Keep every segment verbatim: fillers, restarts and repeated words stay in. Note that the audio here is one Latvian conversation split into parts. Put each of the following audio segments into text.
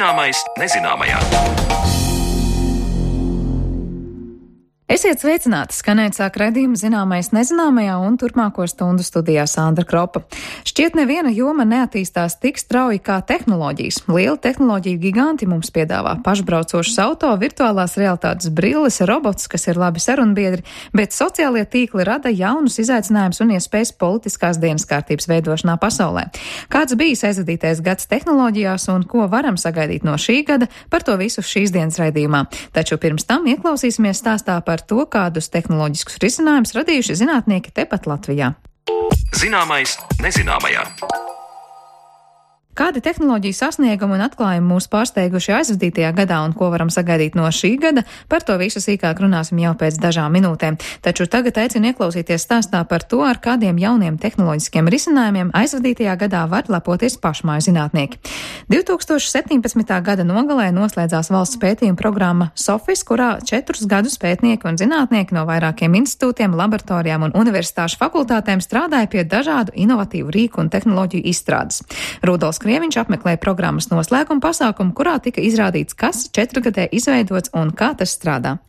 Zināmais nezināmajā. Esiet sveicināti, skanēt sāk redzījuma Zināmais nezināmajā un turpmāko stundu studijā Sandra Kropa. Šķiet neviena joma neattīstās tik strauji kā tehnoloģijas. Liela tehnoloģiju giganti mums piedāvā pašbraucošas auto, virtuālās realitātes brilles, robots, kas ir labi sarunbiedri, bet sociālie tīkli rada jaunus izaicinājumus un iespējas politiskās dienas kārtības veidošanā pasaulē. Kāds bijis aizvadītais gads tehnoloģijās un ko varam sagaidīt no šī gada, par to visu šīs dienas raidījumā. Taču pirms tam ieklausīsimies stāstā par to, kādus tehnoloģiskus risinājumus radījuši zinātnieki tepat Latvijā. Zināmais nezināmajā. Kādi tehnoloģiju sasniegumi un atklājumi mūs pārsteiguši aizvadītajā gadā un ko varam sagaidīt no šī gada, par to visu sīkāk runāsim jau pēc dažām minūtēm. Taču tagad aicinu ieklausīties stāstā par to, ar kādiem jauniem tehnoloģiskiem risinājumiem aizvadītajā gadā var lepoties pašmāju zinātnieki. divi tūkstoši septiņpadsmitā gada nogalē noslēdzās valsts pētījuma programma SOFIS, kurā četrus gadus pētnieki un zinātnieki no vairākiem institūtiem, laboratorijām un universitāšu fakultātēm strādāja pie dažādu inovatīvu rīku un tehnoloģiju izstrādes. Rudolfs Krieviņš apmeklēja programmas noslēguma pasākumu, kurā tika izrādīts, kas četrgadē izveidots un kā tas strādā.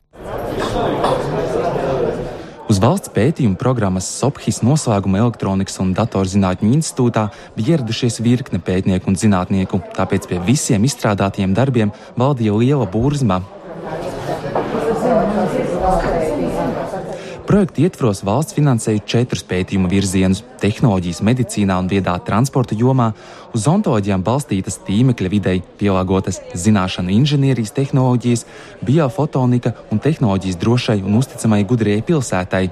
Uz valsts pētījuma programmas SOPHIS noslēguma Elektronikas un datorzinātņu institūtā bija ieradušies virkne pētnieku un zinātnieku, tāpēc pie visiem izstrādātiem darbiem valdīja liela burzma. Projekta ietvaros valsts finansēja četrus pētījuma virzienus - tehnoloģijas medicīnā un viedā transporta jomā, uz ontoloģijām balstītas tīmekļa videi pielāgotas zināšanu inženierijas tehnoloģijas, biofotonika un tehnoloģijas drošai un uzticamai gudrajai pilsētai.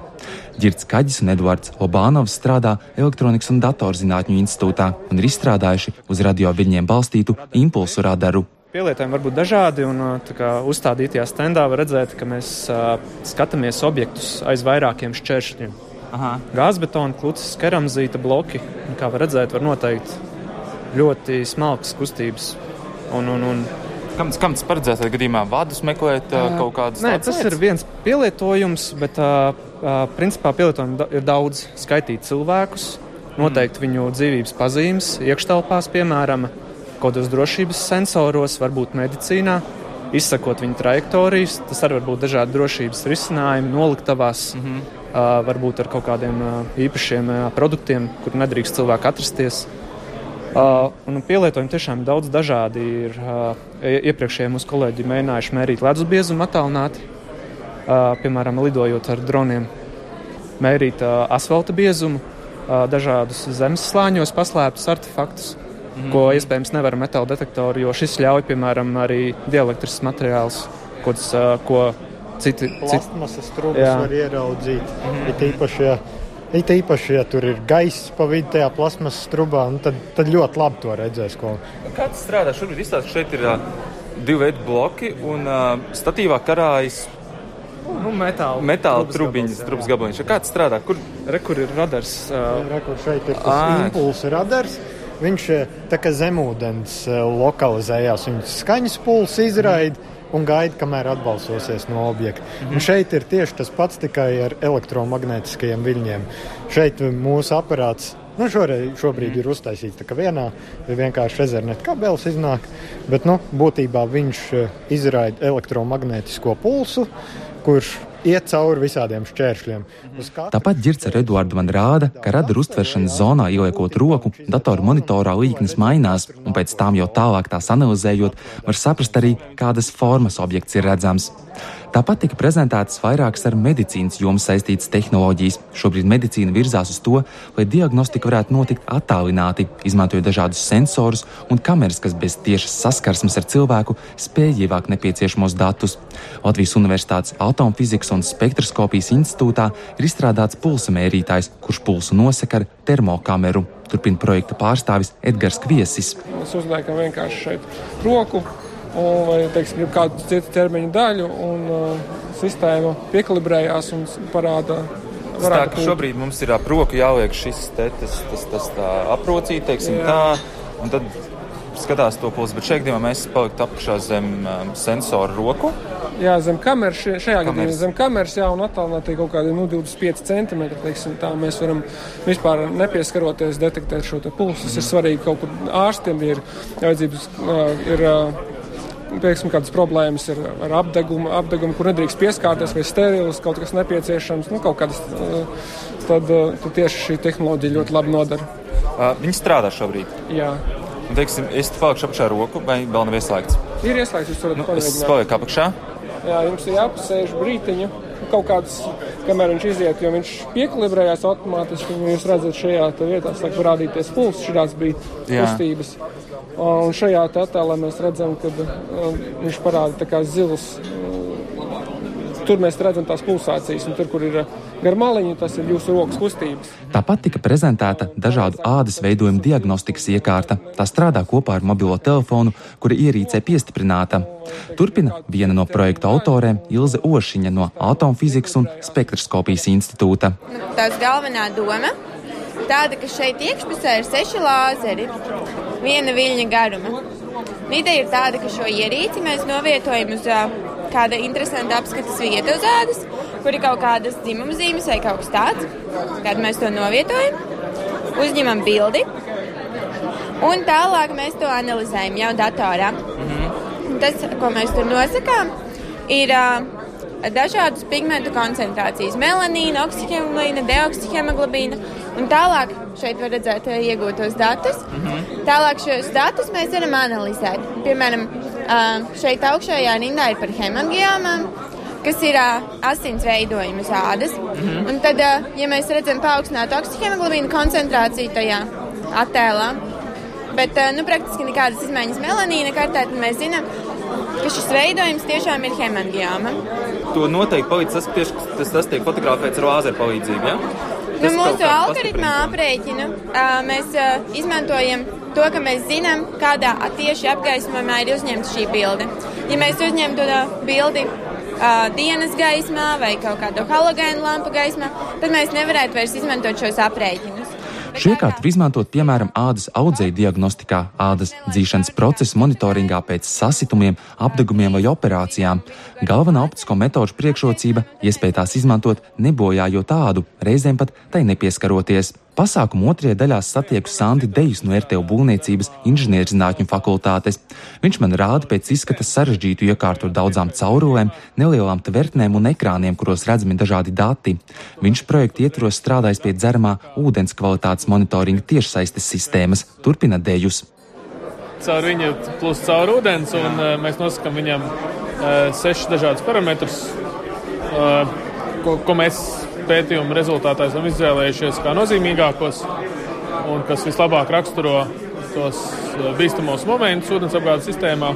Ģirds Kaģis un Eduards Lobānovs strādā Elektronikas un datorzinātņu institūtā un ir izstrādājuši uz radioviļņiem balstītu impulsu radaru. Pielietojumi var būt dažādi, un tā kā uzstādītajā standā var redzēt, ka mēs uh, skatāmies objektus aiz vairākiem šķēršļiem. Gāzbetona, kluces, keramzīta bloki, un, kā var redzēt, var noteikt ļoti smalkas kustības. Un, un, un Kam, kam tas paredzēts gadījumā? Vadus meklēt uh, kaut kādas Nē, tādas tas lietas? ir viens pielietojums, bet uh, uh, principā pielietojumi ir daudz. Skaitīt cilvēkus, noteikt mm. viņu dzīvības pazīmes, iekštelpās, piemēram, kādos drošības sensoros, varbūt medicīnā, izsakot viņu trajektorijas. Tas arī var būt dažādi drošības risinājumi, noliktavās, mm-hmm. uh, varbūt ar kaut kādiem uh, īpašiem uh, produktiem, kur nedrīkst cilvēku atrasties. Uh, un pielietojumi tiešām daudz dažādi ir. Uh, iepriekšējie mūsu kolēģi mēģinājuši mērīt ledus biezumu attālināti, uh, piemēram, lidojot ar droniem, mērīt uh, asfalta biezumu, uh, dažādus zemes slāņos paslēptus artefaktus, mm-hmm. ko iespējams nevar metāla detektori, jo šis ļauj, piemēram, arī dielektrisks materiāls, kods, uh, ko citi... Plastmasas trūkus var ieraudzīt, mm-hmm. it īpaši, ja, it īpaši, ja tur ir gaiss pa vidu tajā plastmasas trubā, tad, tad ļoti labi to redzēs. Ko... Kā tas strādā? Šobrīd izstāst, šeit ir uh, divi veidi bloki un uh, statīvā karājas nu, metāla, metāla trubiņas, trubas gabaliņš. Kā tas strādā? Kur, Re, kur ir radars? Uh... Re, kur šeit ir tas à. impulsu radars. Viņš tā kā zemūdens lokalizējās, viņš skaņas pulsu izraida un gaida, kamēr atbalsosies no objekta. Mm-hmm. Un šeit ir tieši tas pats, tikai ar elektromagnētiskajiem viļņiem. Šeit mūsu aparāts, nu šoreiz, šobrīd mm-hmm. ir uztaisīts tā kā vienā, vienkārši Ethernet kabelis iznāk, bet, nu, būtībā viņš izraida elektromagnētisko pulsu, kurš iet cauri visādiem šķēršļiem. Tāpat Ģirds ar Eduardu man rāda, ka radaru uztveršanas zonā ieliekot roku, datoru monitorā līknes mainās, un pēc tām jau tālāk tās analizējot, var saprast arī, kādas formas objekts ir redzams. Tāpat tika prezentētas vairākas ar medicīnas jomu saistītas tehnoloģijas. Šobrīd medicīna virzās uz to, lai diagnostika varētu notikt attālināti, izmantojot dažādus sensorus un kameras, kas bez tiešas saskarsmes ar cilvēku spēj ievākt nepieciešamos datus. Latvijas Universitātes Atomfizikas un spektroskopijas institūtā ir izstrādāts pulsa mērītājs, kurš pulsu nosaka ar termokameru. Turpina projekta pārstāvis Edgars Kviesis. Mēs uzliekam vienkārši šeit roku, un, vai, teiksim, kādu citu ķermeņa daļu, un uh, sistēma piekalibrējās un parāda. Tā, ka šobrīd mums ir ap roku jāliek šis te, tas, tas, tas tā aprocīt, teiksim, jā. Tā, un tad skatās to pulsu, bet šeit gadījumā mēs paliktu apakšā zem um, sensoru roku. Jā, zem kameras, šajā gadījumā zem kameras, jā, un attālināti kaut kādi nu, divdesmit pieci centimetri, teiksim, tā mēs varam vispār nepieskaroties detektēt šo te pulsu. Tas mm. ir svarīgi kaut kur ārstiem, ir vajadzības, ir pieksim, kādas problēmas ir ar apdegumu, apdegumu, kur nedrīkst pieskārties, vai sterils, kaut kas nepieciešams, nu, kaut kādas, tad, tad tieši šī tehnoloģija ļoti labi nodara. Uh, viņi strādā šobrīd? Jā. Un, teiksim, es te palikšu apakšā roku, vai vēl nav ieslēgts? Ir ieslēgts, jūs varat nu, pamēģināt. Es palieku apakšā. Jā, jums ir jāpasēž brītiņu, kaut kāds, kamēr viņš iziet, jo viņš piekalibrējās automātiski, un jūs redzat šajā vietā, sāk parādīties pulss, šitās bija kustības. Un šajā attēlā mēs redzam, ka viņš parāda tā kā zils. Tur mēs redzam tās pulsācijas, un tur, kur ir gar maliņu, tas ir jūsu rokas kustības. Tāpat tika prezentēta dažādu ādas veidojumu diagnostikas iekārta. Tā strādā kopā ar mobilo telefonu, kura ierīcē piestiprināta. Turpina viena no projektu autorēm Ilze Ošiņa no Atomfizikas un spektroskopijas institūta. Tās galvenā doma tāda, ka šeit iekšpusē ir seši lāzeri, viena viļņa garuma. Ideja ir tāda, ka šo ierīci mēs novietojam uz kāda interesanta apskates vieta uz ādas, kur ir kaut kādas dzimuma zīmes vai kaut kas tāds. Kad mēs to novietojam, uzņemam bildi, un tālāk mēs to analizējam jau datorā. Mm-hmm. Tas, ko mēs tur nosakām, ir uh, dažādas pigmentu koncentrācijas – melanīna, oksihemoglobīna, deoksihemoglobīna, un tālāk šeit var redzēt uh, iegūtos datus. Mm-hmm. Tālāk šos datus mēs varam analizēt. Piemēram, uh, šeit augšējā rindā ir par hemangiomām, kas ir uh, asins veidojumi uz ādas. Mm-hmm. Un tad, uh, ja mēs redzam paaugstinātu oksihemoglobīnu koncentrāciju tajā attēlā, bet uh, nu, praktiski nekādas izmaiņas melanīna kartē, tad mēs zinām, ka šis veidojums tiešām ir hemangioma. To noteikti palīdz tas, tieši, tas, tas tiek fotografēts ar lāzeru palīdzību, ja? Nu, mūsu algoritmā aprēķinu uh, mēs uh, izmantojam to, ka mēs zinām, kādā tieši apgaismojumā ir uzņemta šī bilde. Ja mēs uzņemtu uh, bildi uh, dienas gaismā vai kaut kādu halogēnu lampu gaismā, tad mēs nevarētu vairs izmantot šos aprēķinus. Šie iekārti var izmantot piemēram ādas audzēju diagnostikā, ādas dzīšanas procesu monitoringā pēc sasitumiem, apdegumiem vai operācijām. Galvenā optisko metožu priekšrocība – iespēja tās izmantot nebojājot ādu, reizēm pat tai nepieskaroties. Pasākuma otrajā daļā satieku Sandi Dejus no R T U būvniecības inženierzinātņu fakultātes. Viņš man rāda pēc izskata sarežģītu iekārtu ar daudzām caurulēm, nelielām tvertnēm un ekrāniem, kuros redzami dažādi dati. Viņš projekta ietvaros strādājis pie dzeramā ūdens kvalitātes monitoringa tiešsaistes sistēmas. Turpina Dejus. Caur viņu plus caur ūdens, un uh, mēs nosakam viņam uh, sešas dažādas parametrus, uh, ko, ko mēs pētījuma rezultātā esam izvēlējušies kā nozīmīgākos un kas vislabāk raksturo tos bīstamos momentus ūdensapgādes sistēmā.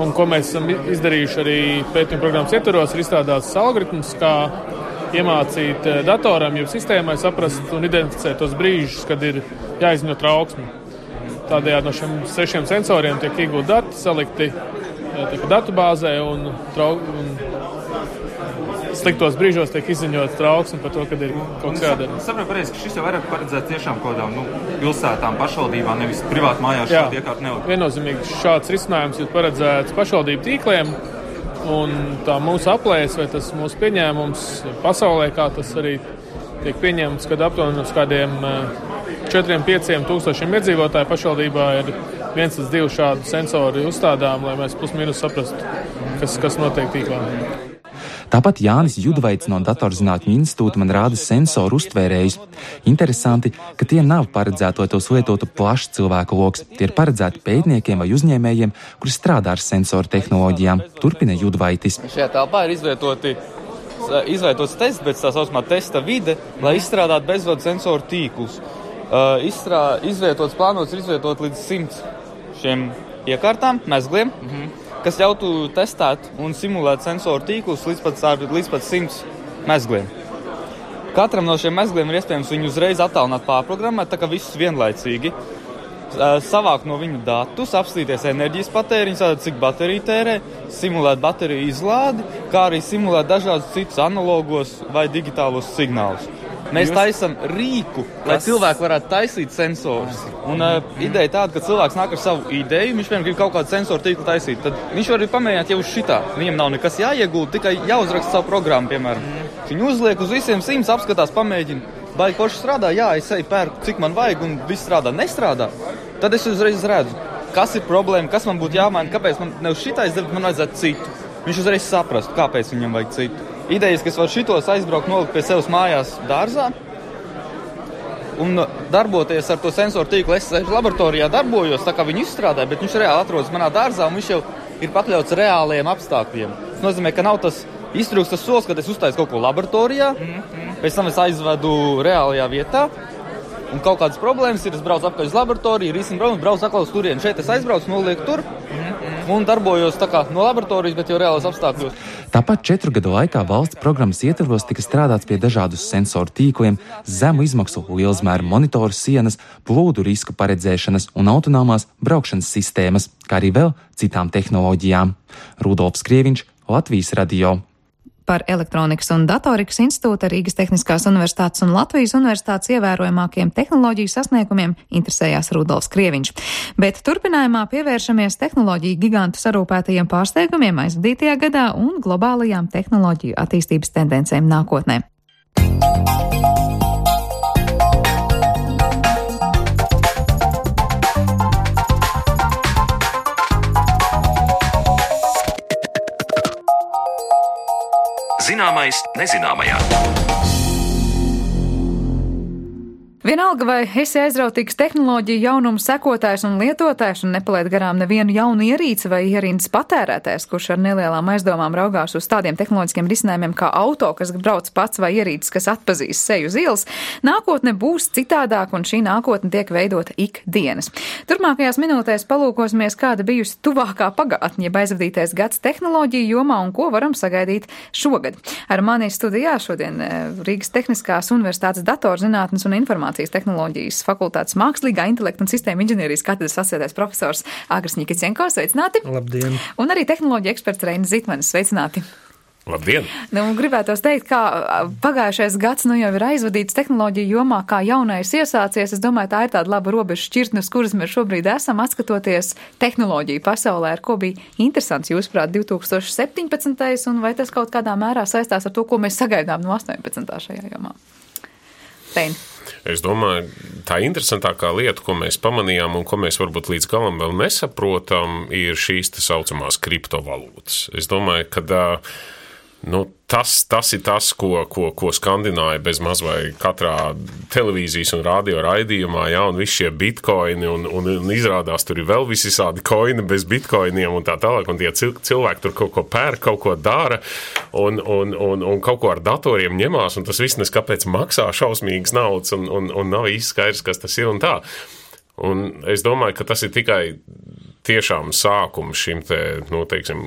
Un ko mēs esam izdarījuši arī pētījuma programmas ietvaros, ir izstrādāts algoritms, kā iemācīt datoram, jeb sistēmai saprast un identificēt tos brīžus, kad ir jāizņo trauksmi. Tādējādi no šiem sešiem sensoriem tiek iegūt dati, salikti datubāzē un, trau, un sliktos brīžos tiek izziņots trauksme par to, kad ir kaut kas jādara. Sapratu pareizi, ka šis jau vairāk paredzēts tiešām kaut kādām nu, pilsētām, pašvaldībām, nevis privāti mājās šādi iekārti nevar. Viennozīmīgi šāds risinājums ir paredzēts pašvaldību tīkliem, un tā mūsu aplēs vai tas mūsu pieņēmums pasaulē, kā tas arī tiek pieņemts, kad aptuveni uz kādiem četriem pieciem tūkstošiem iedzīvotāju pašvaldībā ir viens līdz divi šādu sensoru uzstādām, lai mēs plus mīnus saprastu, kas, kas notiek tīklā. Tāpat Jānis Judvaits no Datorzinātņu institūta man rāda sensoru uztvērējus. Interesanti, ka tie nav paredzēti, lai tos lietotu plašs cilvēku loks. Tie ir paredzēti pētniekiem vai uzņēmējiem, kuri strādā ar sensoru tehnoloģijām. Turpina Judvaitis. Šajā telpā ir izvietoti, izvietots tests, bet tā saucamā testa vide, lai izstrādātu bezvadu sensoru tīklus. Uh, izstrā, izvietots, plānots ir izvietot līdz simts šiem iekārtām, mezgliem, mm-hmm. kas ļautu testēt un simulēt sensoru tīklus līdz pat, līdz pat simts mezgliem. Katram no šiem mezgliem ir iespējams viņu uzreiz attālināt pārprogrammēt, tā kā visus vienlaicīgi. Savākt no viņu datus, apstīties enerģijas patēriņus, cik baterija tērē, simulēt bateriju izlādi, kā arī simulēt dažādus citus analogos vai digitālos signālus. Mēs taisam rīku, lai cilvēki varētu taisīt sensorus. Un uh, ideja tāda, ka cilvēks nāk ar savu ideju, viņš vienkārši grib kaut kādu sensoru tīklu taisīt, tad viņš var arī pamēģināt jau uz šitā. Viņam nav nekas jāiegūt, tikai jāuzraksta savu programmu, piemēram. Mm. Viņš uzliek uz visiem simts, apskatās, pamēģina. Vai koši strādā? Jā, es eju pērku, cik man vajag, un viss strādā. Nestrādā. Tad es uzreiz redzu. kas ir problēma, kas man būtu jāmaina, kāpēc man ne uz šitais darbu, man vajadzētu citu. Viņš uzreiz saprast, kāpēc viņam vajag citu. Idejas, kas var šitos aizbraukt, nolikt pie sevis mājās dārzā un darboties ar to sensoru tīklu. Es laboratorijā darbojos, tā kā viņu izstrādāju, bet viņš reāli atrodas manā dārzā un viņš jau ir pakļauts reāliem apstākļiem. Tas nozīmē, ka nav tas iztrūks tas solis, kad es uztaisu kaut ko laboratorijā, mm-hmm. pēc tam es aizvedu reālajā vietā. Un kaut kādas problēmas ir, es braucu apkārt uz laboratoriju, risinu problēmas, braucu atkal uz turieni. Šeit es aizbraucu, nolieku tur mm-hmm. un darbojos tā kā no laboratorijas, bet jau reālās apstākļos. Tāpat četru gadu laikā valsts programmas ietvaros tika strādāts pie dažādu sensoru tīkliem, zemu izmaksu lielzmēru monitoru sienas, plūdu risku paredzēšanas un autonomās braukšanas sistēmas, kā arī vēl citām tehnoloģijām. Rudolfs Krieviņš, Latvijas radio. Par Elektronikas un datorikas institūta, Rīgas Tehniskās universitātes un Latvijas universitātes ievērojamākiem tehnoloģiju sasniegumiem interesējās Rudolfs Krieviņš. Bet turpinājumā pievēršamies tehnoloģiju gigantu sarūpētajiem pārsteigumiem aizvadītajā gadā un globālajām tehnoloģiju attīstības tendencēm nākotnē. Zināmais nezināmajā. Vienalga, vai esi aizrautīgs tehnoloģiju jaunumu sekotājs un lietotājs un nepalaid garām nevienu jaunu ierīci vai ierindas patērētājs, kurš ar nelielām aizdomām raugās uz tādiem tehnoloģiskiem risinājumiem kā auto, kas brauc pats vai ierīcis, kas atpazīs seju uz ielas, nākotne būs citādāk un šī nākotne tiek veidota ikdienas. Turpmākajās minūtēs palūkosimies, kāda bijusi tuvākā pagātne, jeb aizvadītais gads tehnoloģiju jomā un ko varam sagaidīt šogad. Ar mani studijā šodien Rīgas Tehniskās universitātes datorzinātnes un informācijas tehnoloģijas fakultātes mākslīgā intelekta un sistēma inženierijas katedras asociētais profesors Agris Ņikicienko. Sveicināti! Labdien! Un arī tehnoloģija eksperts Reinis Zitmanis. Sveicināti! Labdien! Nu, gribētos teikt, kā pagājušais gads nu jau ir aizvadīts tehnoloģiju jomā, kā jaunais iesācies. Es domāju, tā ir tāda laba robeža šķirtne, uz kuras mēs šobrīd esam, atskatoties tehnoloģiju pasaulē, ar ko bija interesants, jūsuprāt, divi tūkstoši septiņpadsmitais un vai tas kaut kādā mērā saistās ar to, ko mēs sagaidām no astoņpadsmitā šajā jomā? Reini. Es domāju, tā interesantākā lieta, ko mēs pamanījām un ko mēs varbūt līdz galam vēl nesaprotam, ir šīs tā saucamās kriptovalūtas. Es domāju, ka nu, tas, tas ir tas, ko, ko, ko skandināja bez maz vai katrā televīzijas un radio raidījumā, ja, un visi šie bitkoini, un, un, un izrādās tur ir vēl visādi koini bez bitkoiniem un tā tālāk, un tie cilvēki tur kaut ko pērk, kaut ko dara, un, un, un, un kaut ko ar datoriem ņemās, un tas viss neskapēc maksā šausmīgas naudas, un, un, un nav īsti skaidrs, kas tas ir un tā. Un es domāju, ka tas ir tikai tiešām sākums šim te, nu, teiksim,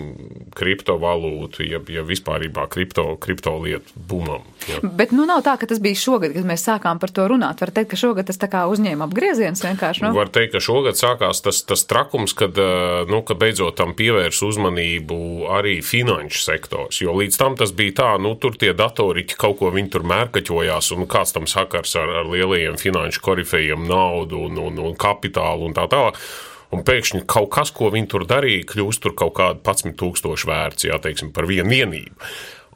kriptovalūtu, ja, ja vispārībā kripto, kripto lietu bumam. Ja. Bet, nu, nav tā, ka tas bija šogad, kad mēs sākām par to runāt. Var teikt, ka šogad tas tā kā uzņēma apgrieziens vienkārši, nu? Var teikt, ka šogad sākās tas, tas trakums, kad, nu, ka beidzot tam pievērs uzmanību arī finanšu sektors, jo līdz tam tas bija tā, nu, tur tie datoriķi kaut ko viņi tur mērkaķojās, un kāds tam sakars ar, ar lielajiem finanšu korifejiem naudu un, un, un kapitālu un tā tālāk. Un pēkšņi kaut kas, ko viņi tur darīja, kļūst tur kaut kādu padsmit tūkstoši vērts, jā, teiksim, par vienu vienību.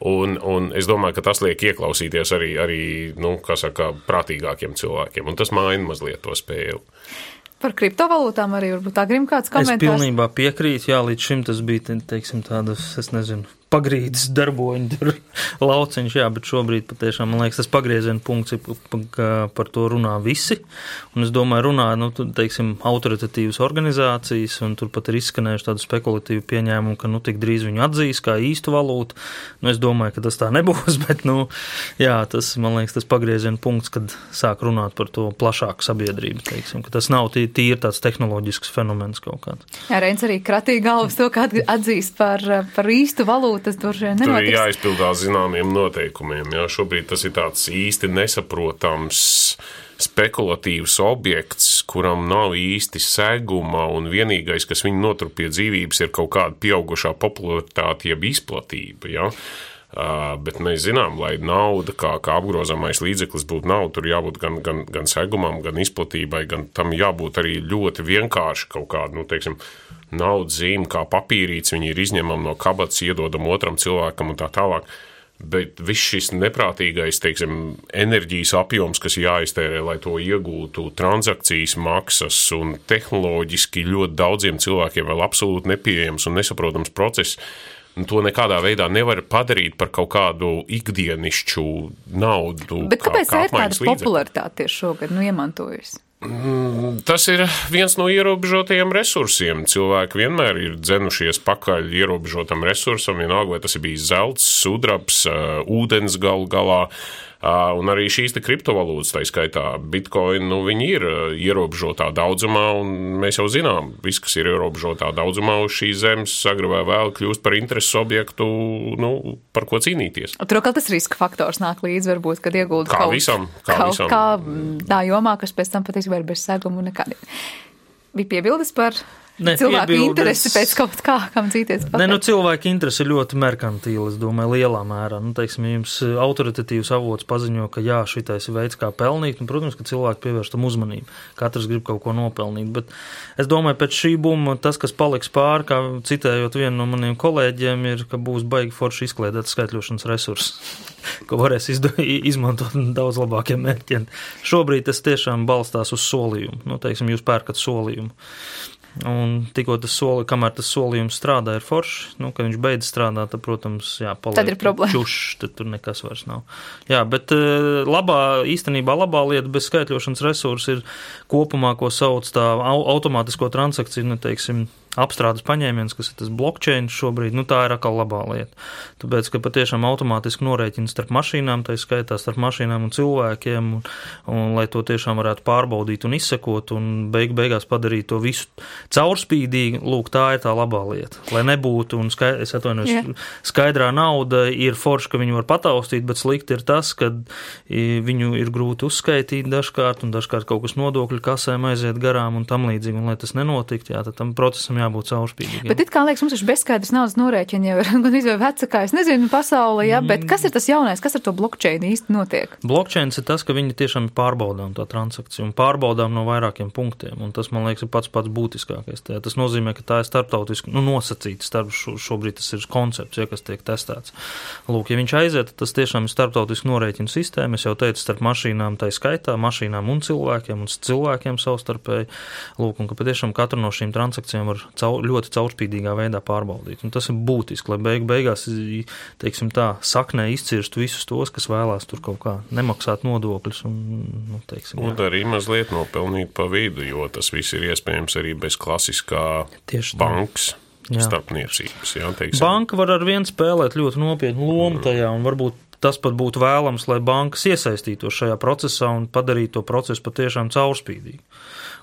Un, un es domāju, ka tas liek ieklausīties arī, arī nu, kā saka, prātīgākiem cilvēkiem, un tas maina mazliet to spēli. Par kriptovalūtām arī varbūt Agrim kāds komentārs? Es pilnībā piekrītu, jā, līdz šim tas bija, teiksim, tādas, es nezinu, pagrīdes darboņi, tur lauciņš, jā, bet šobrīd patiešām, man liekas, tas pagrieziena punkts ir, ka par to runā visi, un es domāju, runā, nu, teiksim, autoritatīvas organizācijas, un tur pat ir izskanējuši tādu spekulatīvu pieņēmumu, ka, nu, tik drīz viņu atzīs kā īstu valūtu, nu, es domāju, ka tas tā nebūs, bet, nu, jā, tas, man liekas, tas pagrieziena punkts, kad sāk runāt par to plašāku sabiedrību, teiksim, ka tas nav tī, tīri tāds tehnoloģisks fenomens kaut kāds. Jā, Reins arī kratīja galvas to, ka atzīst par, par īstu valūtu. Tas tur nenotiks. Tur ir jāizpildās zināmiem noteikumiem. Jā. Šobrīd tas ir tāds īsti nesaprotams spekulatīvs objekts, kuram nav īsti seguma, un vienīgais, kas viņu notur pie dzīvības, ir kaut kāda pieaugušā popularitāte jeb izplatība. Jā. Uh, bet mēs zinām, lai nauda kā, kā apgrozāmais līdzeklis būtu nauda, tur jābūt gan, gan, gan segumam, gan izplatībai, gan tam jābūt arī ļoti vienkārši kaut kādu, nu, teiksim, naudas zīme, kā papīrīts, viņi ir izņemami no kabatas, iedodam otram cilvēkam un tā tālāk. Bet viss šis neprātīgais, teiksim, enerģijas apjoms, kas jāiztērē, lai to iegūtu, transakcijas maksas un tehnoloģiski ļoti daudziem cilvēkiem vēl absolūti nepieejams un nesaprotams process, un to nekādā veidā nevar padarīt par kaut kādu ikdienišķu naudu. Bet kā, kāpēc kā ir tāda popularitāte tieši šogad, nu, iemantojusi? Tas ir viens no ierobežotajiem resursiem. Cilvēki vienmēr ir dzenušies pakaļ ierobežotam resursam, vienalga, vai tas ir bijis zelts, sudrabs, ūdens galu galā, un arī šīs te kriptovalūtas, tā skaitā Bitcoin, nu, viņi ir ierobežotā daudzumā, un mēs jau zinām, viss, kas ir ierobežotā daudzumā uz šīs zemes, agri vai vēl kļūst par intereses objektu, nu, par ko cīnīties. Tur vēl tas riska faktors nāk līdz, varbūt, kad iegulda kā kaut, visam, kā kaut visam. kā tā jomā, kas pēc tam patiesībā ir bez segumu nekādiem. Bija piebildes par Ne, cilvēku piebildes... interesi pēc kaut kā, kam cīties pakaļ. Ne, nu, cilvēku interesi ir ļoti merkantīli, es domāju, lielā mērā. Nu, teiksim, jums autoritatīvs avots paziņo, ka jā, šitais ir veids, kā pelnīt, un, protams, ka cilvēki pievērš tam uzmanību. Katrs grib kaut ko nopelnīt, bet es domāju, pēc šī buma tas, kas paliks pāri, kā citējot vienu no maniem kolēģiem, ir, ka būs baigi forši izkliedēt skaitļošanas resursus, ko varēs izdo, izmantot daudz labākiem mērķiem. Šobrīd tas tiešām balstās uz solījumu. Nu, teiksim, jūs pērkat solījumu. Un tikko tas soli, kamēr tas solījums strādā, ir forši, nu, kad viņš beidz strādāt, tad, protams, jā, paliek tad ir problēma. Čušs, tad tur nekas vairs nav. Jā, bet labā, īstenībā labā lieta bez skaitļošanas resursu ir kopumā, ko sauc tā automātisko transakciju, nu, teiksim, apstrādes paņēmiens, kas ir tas blockchain šobrīd, nu tā ir atkal labā lieta. Tāpēc, ka patiešām automātiski norēķina starp mašīnām, tā skaitā starp mašīnām un cilvēkiem, un, un lai to tiešām varētu pārbaudīt un izsekot, un beig, beigās padarīt to visu caurspīdīgi, lūk, tā ir tā labā lieta. Lai nebūtu, un skaidr, es atvainojos, yeah. skaidrā nauda ir forša, ka viņu var pataustīt, bet slikti ir tas, ka viņu ir grūti uzskaitīt dažkārt, un dažkārt kaut kas nodokļu kasēm aiziet garām un tam līdzīgi, un lai tas nenotikt, jā, tad tam procesam jābūt caurspīdīgiem. Bet it kā liekas, mums ir bezskaidrs naudas norēķini jau ir gan izvēl vecākā, es nezinu, pasaulē, jā, bet kas ir tas jaunais, kas ar to blockchain īsti notiek? Blockchains ir tas, ka viņi tiešām ir pārbaudām tā transakcija un pārbaudām no vairākiem punktiem, un tas, man liekas, ir pats pats būtiskākais. Tā, tas nozīmē, ka tā ir starptautiski, nu, nosacīta starp šo, šobrīd tas ir koncepts, ja, kas tiek testēts. Lūk, ja viņš aiziet, tas tiešām ir starptautiski norēķinu sistēma, es jau teicu, starp mašīnām, tā skaitā, mašīnām un cilvēkiem, un cilvēkiem savstarpēji. Lūk, un ka patiešām katru no šīm transakcijām var caur, ļoti caurspīdīgā veidā pārbaudīt. Un tas ir būtiski, lai beig, beigās, teiksim tā, saknē izcirstu visus tos, kas vēlās tur kaut kā nemaksāt nodokļus. Un, nu, teiksim, un arī mazliet nopelnīt pa vidu, jo tas viss ir iespējams arī bez klasiskā bankas starpniecības. Jā, teiksim. Banka var ar vien spēlēt ļoti nopietnu lomu tajā, un varbūt tas pat būtu vēlams, lai bankas iesaistītos šajā procesā un padarītu to procesu patiešām caurspīdīgu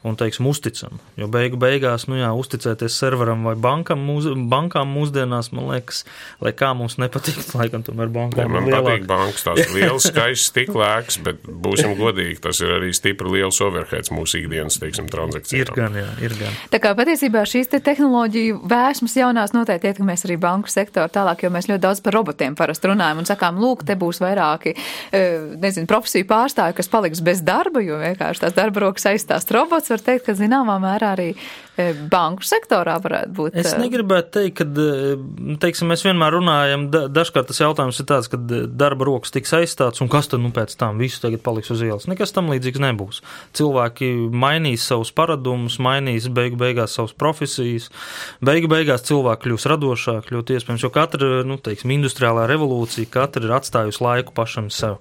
un, teiksim, uzticam. Jo beigu beigās, nu jā, uzticēties serveram vai bankam, mūs, bankām mūsdienās, man liekas, lai kā mums nepatīk, laikam tomēr bankām ja, man lielāk. Patīk bankas, tās ir liels, skaists, stiklēks, bet būsim godīgi, tas ir arī stipri liels overheads mūsu ikdienas, teiksim, transakcijām. Ir gan, jā, ir gan. Tā kā patiesībā šīs te tehnoloģiju vēsmas jaunās noteikti ietekmēs arī banku sektoru tālāk, jo mēs ļoti daudz par robotiem parasti runājam un sakām, lūk, te būs vairāki, nezinu, profesiju pārstāvi, kas paliks bez darba, jo vienkārši tās darba rokas aizstās robots. Var teikt, ka zināmā mērā arī banku sektorā varētu būt. Es negribētu teikt, ka, teiksim, mēs vienmēr runājam, dažkārt tas jautājums ir tāds, ka darba rokas tiks aizstāts, un kas tad, nu, pēc tam visu tagad paliks uz ielas. Nekas tam līdzīgs nebūs. Cilvēki mainīs savus paradumus, mainīs beigu beigās savas profesijas, beigu beigās cilvēki kļūs radošāk, ļoti iespējams, jo katra, nu, teiksim, industriālā revolūcija, katra ir atstājusi laiku pašam sev.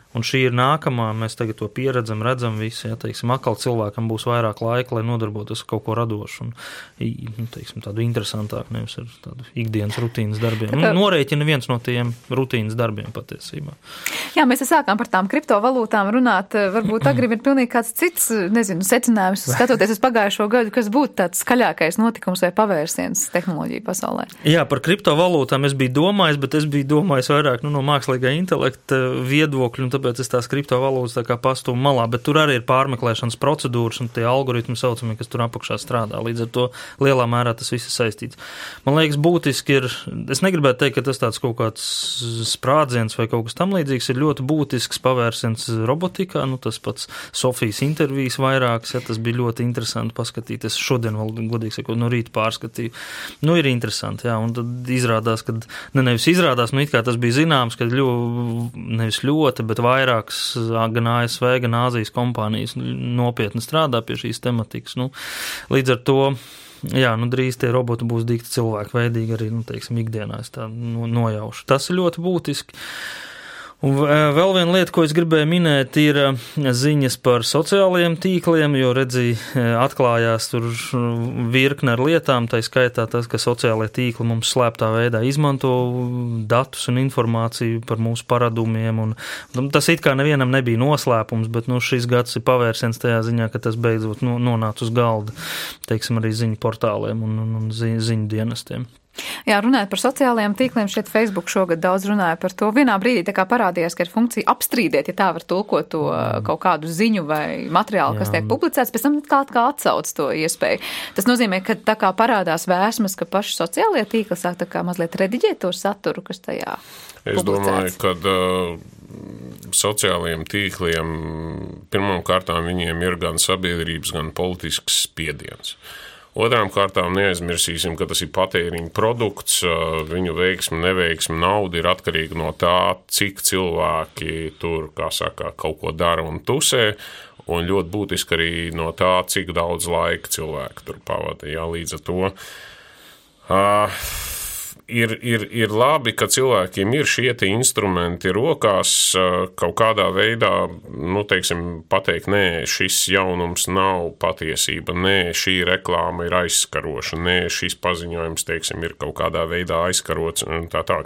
Un šī ir nākamā, mēs tagad to pieredzam, redzam visi, ja, teiksim, atkal cilvēkam būs vairāk laika, lai nodarbotos ar kaut ko radošu un, nu, teiksim, tādu interesantāku, nevis ar tādu ikdienas rutīnas darbiem. Nu, norēķina viens no tiem rutīnas darbiem patiesībā. Jā, mēs sākām par tām kriptovalūtām runāt, varbūt agrib ir pilnīgi kāds cits, nezinu, secinājums, skatoties uz pagājušo gadu, kas būtu tāds skaļākais notikums vai pavērsiens tehnoloģiju pasaulē. Jā, par kriptovalūtām es biju domājis, bet es biju domājis vairāk, nu, no mākslīgā intelekta viedokļu, un tāpēc es tās kriptovalūtas tā kā pastūmu malā, bet tur arī ir pārmeklēšanas procedūras un tie algoritmi saucamie, kas tur apakšā strādā. Līdz ar to lielā mērā tas viss ir saistīts. Man liekas, būtiski ir, es negribētu teikt, ka tas tāds kaut kāds sprādziens vai kaut kas tam līdzīgs, ir ļoti būtisks pavērsiens robotikā, nu tas pats Sofijas intervijas vairākas, ja tas bija ļoti interesanti paskatīties. Šodien vēl, godīgi sakot, no rīta pārskatīju. Nu, ir interesanti, jā, un tad izrādās, ka, ne nevis izrādās, nu it kā tas bija zināms, ka ļo, nevis ļoti, bet vairākas gan A S V, gan Āzijas kompānijas nopietni strādā pie šīs tematikas. Nu, līdz ar to, jā, nu drīz tie roboti būs dikti cilvēku veidīgi arī, nu, teiksim, ikdienā es tā nojaušu. Tas ir ļoti būtiski. Un vēl viena lieta, ko es gribēju minēt, ir ziņas par sociālajiem tīkliem, jo redzi, atklājās tur virkne ar lietām, tā skaitā tas, ka sociālajie tīkli mums slēptā veidā izmanto datus un informāciju par mūsu paradumiem, un, un tas it kā nevienam nebija noslēpums, bet nu, šis gads ir pavērsiens tajā ziņā, ka tas beidzot nu, nonāca uz galda, teiksim, arī ziņu portāliem un, un, un ziņu, ziņu dienestiem. Jā, runājot par sociālajiem tīkliem, šeit Facebook šogad daudz runāja par to. Vienā brīdī tā kā parādījās, ka ir funkcija apstrīdēt, ja tā var tulkot to kaut kādu ziņu vai materiālu, kas tiek publicēts, pēc tam kā, kā atsauc to iespēju. Tas nozīmē, ka tā kā parādās vēsmas, ka paši sociālie tīkli sāk tā kā mazliet rediģēt to saturu, kas tajā es publicēts. Es domāju, ka uh, sociālajiem tīkliem pirmām kārtām viņiem ir gan sabiedrības, gan politisks spiediens. Otrām kārtām neaizmirsīsim, ka tas ir patēriņa produkts, viņu veiksme, neveiksme, nauda ir atkarīga no tā, cik cilvēki tur, kā saka, kaut ko dara un tusē, un ļoti būtiski arī no tā, cik daudz laika cilvēki tur pavada. Jā, līdz ar to uh, ir, ir, ir labi, ka cilvēkiem ir šie te instrumenti rokās, uh, kaut kādā veidā, nu, teiksim, pateikt, nē, šis jaunums nav patiesība, nē, šī reklāma ir aizskaroša, nē, šis paziņojums, teiksim, ir kaut kādā veidā aizskarots un tā tā.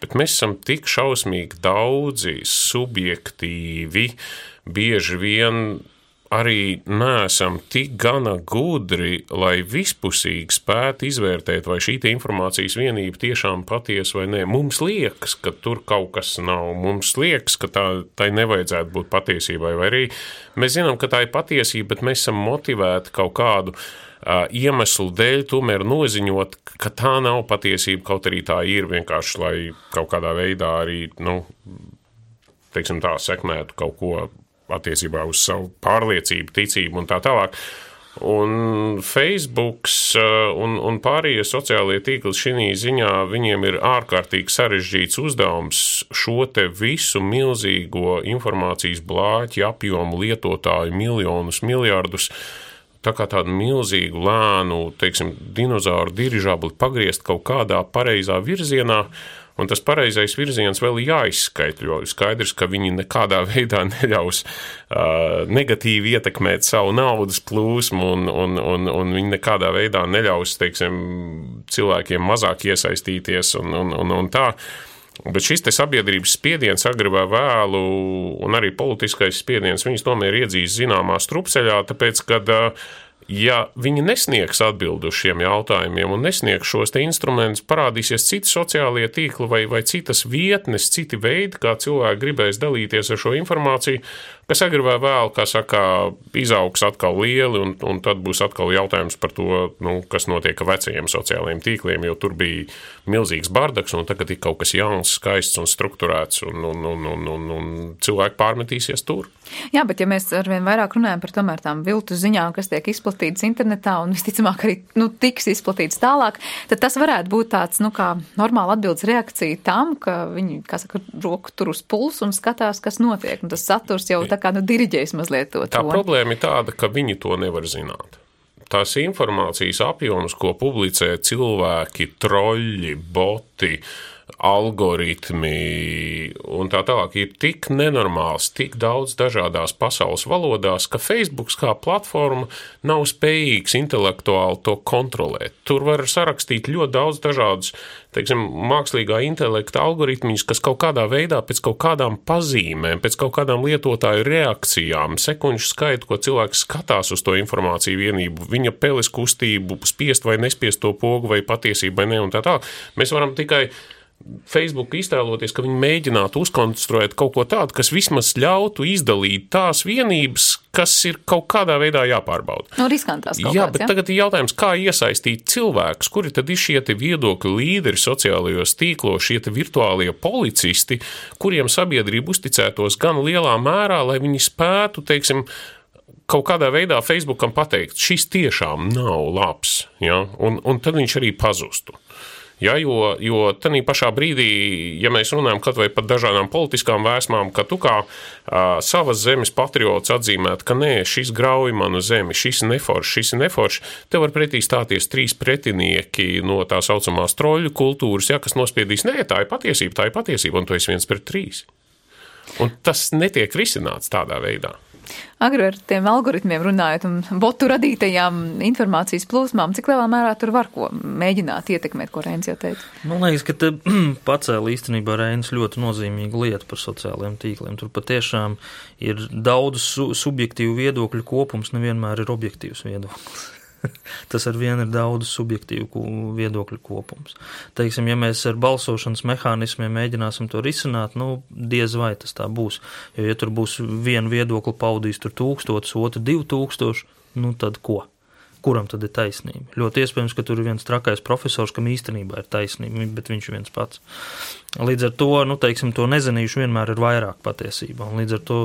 Bet mēs esam tik šausmīgi daudzi, subjektīvi, bieži vien arī neesam tik gana gudri, lai vispusīgi spētu izvērtēt, vai šī informācijas vienība tiešām patiesa vai nē. Mums liekas, ka tur kaut kas nav. Mums liekas, ka tā, tai nevajadzētu būt patiesībai, vai arī mēs zinām, ka tā ir patiesība, bet mēs esam motivēti kaut kādu uh, iemeslu dēļ tomēr noziņot, ka tā nav patiesība, kaut arī tā ir vienkārši, lai kaut kādā veidā arī, nu, teiksim tā, sekmētu kaut ko attiecībā uz savu pārliecību, ticību un tā tālāk. Un Facebooks un, un pārējie sociālie tīkli šī ziņā, viņiem ir ārkārtīgi sarežģīts uzdevums šo te visu milzīgo informācijas blāķi apjomu lietotāju miljonus, miljardus, tā kā tādu milzīgu lēnu, teiksim, dinozauru dirižabli pagriezt kaut kādā pareizā virzienā. Un tas pareizais virziens vēl ir jāizskaitļo. Skaidrs, ka viņi nekādā veidā neļaus uh, negatīvi ietekmēt savu naudas plūsmu un, un, un, un viņi nekādā veidā neļaus, teiksim, cilvēkiem mazāk iesaistīties un, un, un, un tā. Bet šis te sabiedrības spiediens agri vai vēlu un arī politiskais spiediens, viņus tomēr iedzīs zināmā strupceļā, tāpēc, kad uh, ja viņi nesniegs atbildi uz šiem jautājumiem un nesniegs šos te instrumentus, parādīsies citi sociālie tīkli vai, vai citas vietnes, citi veidi, kā cilvēki gribēs dalīties ar šo informāciju, kas agri vai vēl, kā saka, izaugs atkal lieli, un, un tad būs atkal jautājums par to, nu, kas notiek ar vecajiem sociālajiem tīkliem, jo tur bija milzīgs bardaks, un tagad ir kaut kas jauns, skaists un strukturēts, un, un, un, un, un, un cilvēki pārmetīsies tur. Jā, bet ja mēs arvien vairāk runājam par tomēr tām viltu ziņām, kas tiek izplatītas internetā un visticamāk arī, nu, tiks izplatītas tālāk, tad tas varētu būt tāds, nu, kā normāla atbildes reakcija tam, ka viņi, kā saka, roku tur uz pulsu un skatās, kas notiek, un tas saturs jau tā kā, nu, diriģēs mazliet to. Tā problēma ir tāda, ka viņi to nevar zināt. Tās informācijas apjoms, ko publicē cilvēki, troļļi, boti, algoritmi un tā tālāk, ir tik nenormāls, tik daudz dažādās pasaules valodās, ka Facebooks kā platforma nav spējīgs intelektuāli to kontrolēt. Tur var sarakstīt ļoti daudz dažādus, teiksim, mākslīgā intelekta algoritmiņus, kas kaut kādā veidā pēc kaut kādām pazīmēm, pēc kaut kādām lietotāju reakcijām, sekundžu skaitu, ko cilvēks skatās uz to informāciju vienību, viņa peles kustību, spiest vai nespiest to pogu vai patiesību vai ne un tā tā. Mēs varam tikai Facebook iztēloties, ka viņi mēģinātu uzkonstruēt kaut ko tādu, kas vismaz ļautu izdalīt tās vienības, kas ir kaut kādā veidā jāpārbauda. Nu, riskantās kaut jā, kāds, bet ja? Tagad ir jautājums, kā iesaistīt cilvēkus, kuri tad ir šie te viedokļu līderi sociālajos tīklos, šie te virtuālie policisti, kuriem sabiedrība uzticētos gan lielā mērā, lai viņi spētu, teiksim, kaut kādā veidā Facebookam pateikt, šis tiešām nav labs, ja? un, un tad viņš arī pazustu. Ja, jo, jo tanī pašā brīdī, ja mēs runājam kaut vai par dažādām politiskām vēsmām, ka tu kā uh, savas zemes patriots atzīmēt, ka nē, šis grauj manu zemi, šis neforši, šis neforši, te var pretī stāties trīs pretinieki no tā saucamās troļu kultūras, ja, kas nospiedīs, nē, tā ir patiesība, tā ir patiesība, un tu esi viens pret trīs. Un tas netiek risināts tādā veidā. Agri ar tiem algoritmiem runājot un botu radītajām informācijas plūsmām, cik lielā mērā tur var ko mēģināt ietekmēt, ko Reinis jau teica? Man liekas, ka te pacēla īstenībā Reinis ļoti nozīmīgu lietu par sociālajiem tīkliem. Tur patiešām ir daudz su subjektīvu viedokļu kopums, nevienmēr ir objektīvs viedoklis. Tas ar vienu ir daudz subjektīvu viedokļu kopums. Teiksim, ja mēs ar balsošanas mehānismiem mēģināsim to risināt, nu, diez vai tas tā būs. Jo, ja tur būs vienu viedokli paudīs tur tūkstotis, otru divu tūkstoši, nu, tad ko? Kuram tad ir taisnība? Ļoti iespējams, ka tur ir viens trakais profesors, kam īstenībā ir taisnība, bet viņš ir viens pats. Līdz ar to, nu, teiksim, to nezinīšu vienmēr ir vairāk patiesībā, un līdz ar to